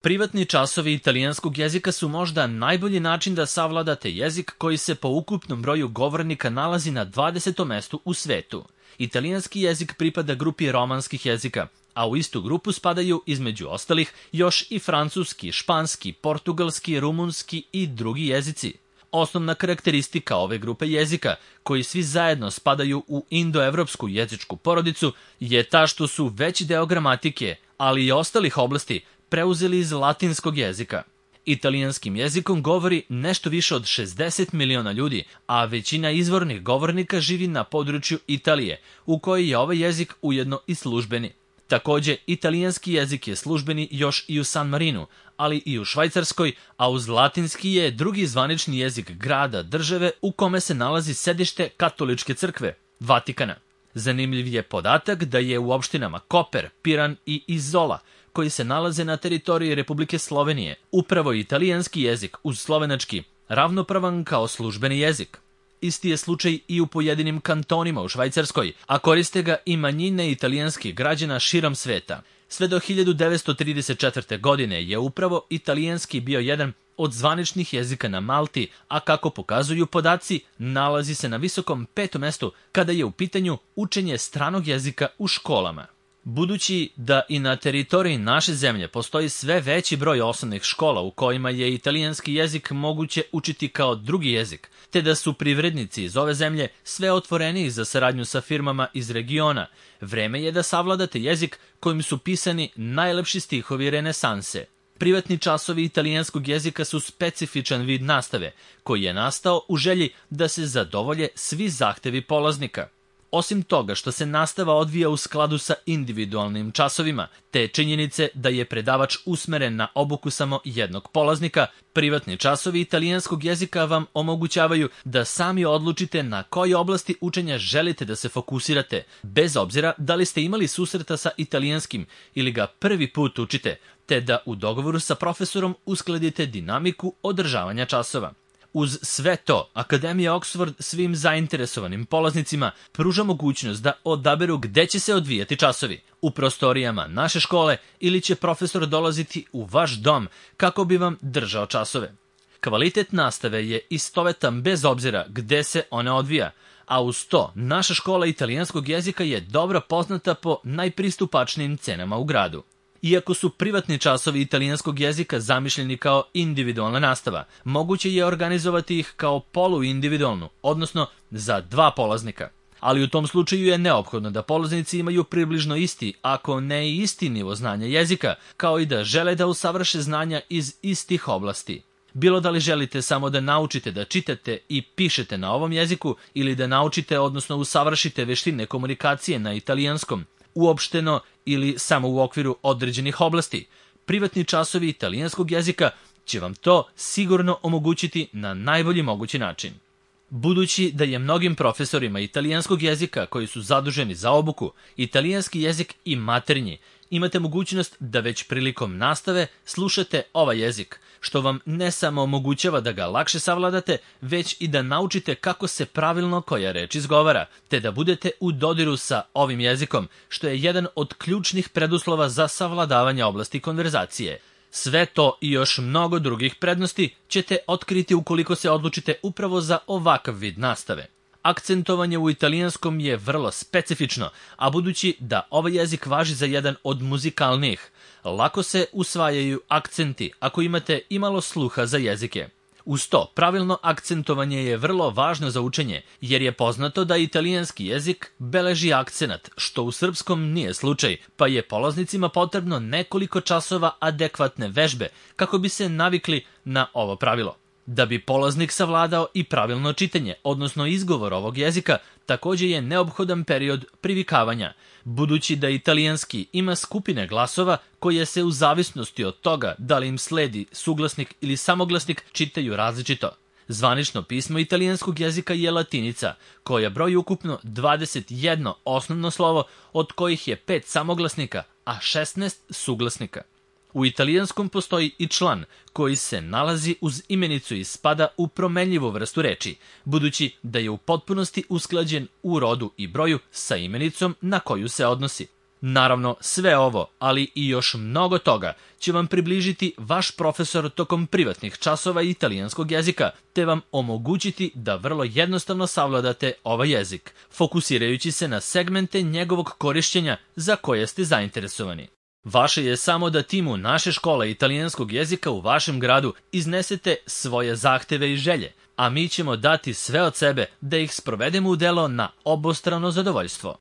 Privatni časovi italijanskog jezika su možda najbolji način da savladate jezik koji se po ukupnom broju govornika nalazi na 20. mestu u svetu. Italijanski jezik pripada grupi romanskih jezika, a u istu grupu spadaju, između ostalih, još i francuski, španski, portugalski, rumunski i drugi jezici. Osnovna karakteristika ove grupe jezika, koji svi zajedno spadaju u indoevropsku jezičku porodicu, je ta što su veći deo gramatike, ali i ostalih oblasti, preuzeli iz latinskog jezika. Italijanskim jezikom govori nešto više od 60 miliona ljudi, a većina izvornih govornika živi na području Italije, u kojoj je ovaj jezik ujedno i službeni. Takođe, italijanski jezik je službeni još i u San Marinu, ali i u Švajcarskoj, a uz latinski je drugi zvanični jezik grada države u kome se nalazi sedište katoličke crkve, Vatikana. Zanimljiv je podatak da je u opštinama Koper, Piran i Izola, koji se nalaze na teritoriji Republike Slovenije, upravo italijanski jezik uz slovenački ravnopravan kao službeni jezik. Isti je slučaj i u pojedinim kantonima u Švajcarskoj, a koriste ga i manjine italijanskih građana širom sveta. Sve do 1934. godine je upravo italijanski bio jedan od zvaničnih jezika na Malti, a kako pokazuju podaci, nalazi se na visokom 5. mestu kada je u pitanju učenje stranog jezika u školama. Budući da i na teritoriji naše zemlje postoji sve veći broj osnovnih škola u kojima je italijanski jezik moguće učiti kao drugi jezik, te da su privrednici iz ove zemlje sve otvoreniji za saradnju sa firmama iz regiona, vreme je da savladate jezik kojim su pisani najlepši stihovi renesanse. Privatni časovi italijanskog jezika su specifičan vid nastave, koji je nastao u želji da se zadovolje svi zahtevi polaznika. Osim toga što se nastava odvija u skladu sa individualnim časovima, te činjenice da je predavač usmeren na obuku samo jednog polaznika, privatni časovi italijanskog jezika vam omogućavaju da sami odlučite na koje oblasti učenja želite da se fokusirate, bez obzira da li ste imali susreta sa italijanskim ili ga prvi put učite, te da u dogovoru sa profesorom uskladite dinamiku održavanja časova. Uz sve to, Akademija Oxford svim zainteresovanim polaznicima pruža mogućnost da odaberu gde će se odvijati časovi, u prostorijama naše škole ili će profesor dolaziti u vaš dom kako bi vam držao časove. Kvalitet nastave je istovetan bez obzira gde se ona odvija, a uz to naša škola italijanskog jezika je dobro poznata po najpristupačnijim cenama u gradu. Iako su privatni časovi italijanskog jezika zamišljeni kao individualna nastava, moguće je organizovati ih kao poluindividualnu, odnosno za dva polaznika. Ali u tom slučaju je neophodno da polaznici imaju približno isti, ako ne i isti nivo znanja jezika, kao i da žele da usavrše znanja iz istih oblasti. Bilo da li želite samo da naučite da čitate i pišete na ovom jeziku ili da naučite, odnosno usavršite veštine komunikacije na italijanskom, uopšteno ili samo u okviru određenih oblasti, privatni časovi italijanskog jezika će vam to sigurno omogućiti na najbolji mogući način. Budući da je mnogim profesorima italijanskog jezika koji su zaduženi za obuku italijanski jezik i maternji, imate mogućnost da već prilikom nastave slušate ovaj jezik, što vam ne samo omogućava da ga lakše savladate, već i da naučite kako se pravilno koja reč izgovara, te da budete u dodiru sa ovim jezikom, što je jedan od ključnih preduslova za savladavanje oblasti konverzacije. Sve to i još mnogo drugih prednosti ćete otkriti ukoliko se odlučite upravo za ovakav vid nastave. Akcentovanje u italijanskom je vrlo specifično, a budući da ovaj jezik važi za jedan od muzikalnijih, lako se usvajaju akcenti ako imate imalo sluha za jezike. Uz to, pravilno akcentovanje je vrlo važno za učenje, jer je poznato da italijanski jezik beleži akcenat, što u srpskom nije slučaj, pa je polaznicima potrebno nekoliko časova adekvatne vežbe kako bi se navikli na ovo pravilo. Da bi polaznik savladao i pravilno čitanje, odnosno izgovor ovog jezika, takođe je neophodan period privikavanja, budući da italijanski ima skupine glasova koje se u zavisnosti od toga da li im sledi suglasnik ili samoglasnik čitaju različito. Zvanično pismo italijanskog jezika je latinica, koja broji ukupno 21 osnovno slovo, od kojih je 5 samoglasnika, a 16 suglasnika. U italijanskom postoji i član koji se nalazi uz imenicu i spada u promenljivu vrstu reči, budući da je u potpunosti usklađen u rodu i broju sa imenicom na koju se odnosi. Naravno, sve ovo, ali i još mnogo toga, će vam približiti vaš profesor tokom privatnih časova italijanskog jezika, te vam omogućiti da vrlo jednostavno savladate ovaj jezik, fokusirajući se na segmente njegovog korišćenja za koje ste zainteresovani. Vaše je samo da timu naše škole italijanskog jezika u vašem gradu iznesete svoje zahteve i želje, a mi ćemo dati sve od sebe da ih sprovedemo u delo na obostrano zadovoljstvo.